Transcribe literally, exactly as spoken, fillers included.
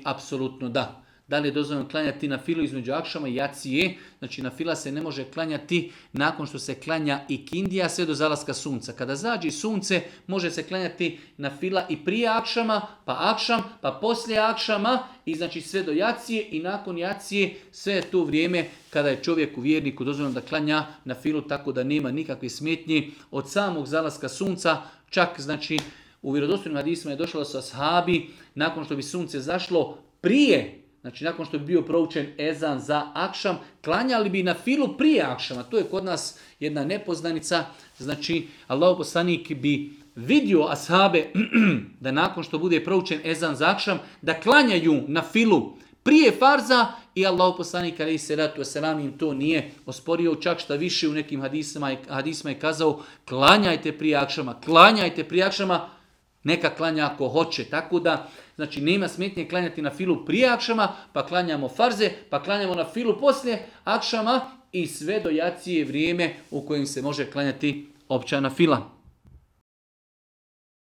apsolutno da. Da li je dozvoljeno klanjati na filu između akšama i jacije? Znači na fila se ne može klanjati nakon što se klanja i kindija sve do zalaska sunca. Kada zađe sunce može se klanjati na fila i prije akšama, pa akšam, pa poslije akšama i znači sve do jacije i nakon jacije sve je to vrijeme kada je čovjeku vjerniku dozvoljeno da klanja na filu tako da nema nikakve smetnje od samog zalaska sunca. Čak znači u vjerodostojnim hadisima je došlo da su ashabi nakon što bi sunce zašlo prije, znači nakon što bi bio proučen ezan za akšam, klanjali bi na filu prije akšama. To je kod nas jedna nepoznanica. Znači Allahov poslanik bi vidio ashabe da nakon što bude proučen ezan za akšam, da klanjaju na filu prije farza i Allahov poslanik alejhi selatu vesselam im to nije osporio, čak šta više u nekim hadisima, hadisima je kazao klanjajte prije akšama, klanjajte prije akšama, neka klanja ako hoće. Tako da, znači nema smetnje klanjati na filu prije akšama, pa klanjamo farze, pa klanjamo na filu poslije akšama i sve do jacije vrijeme u kojem se može klanjati općana fila.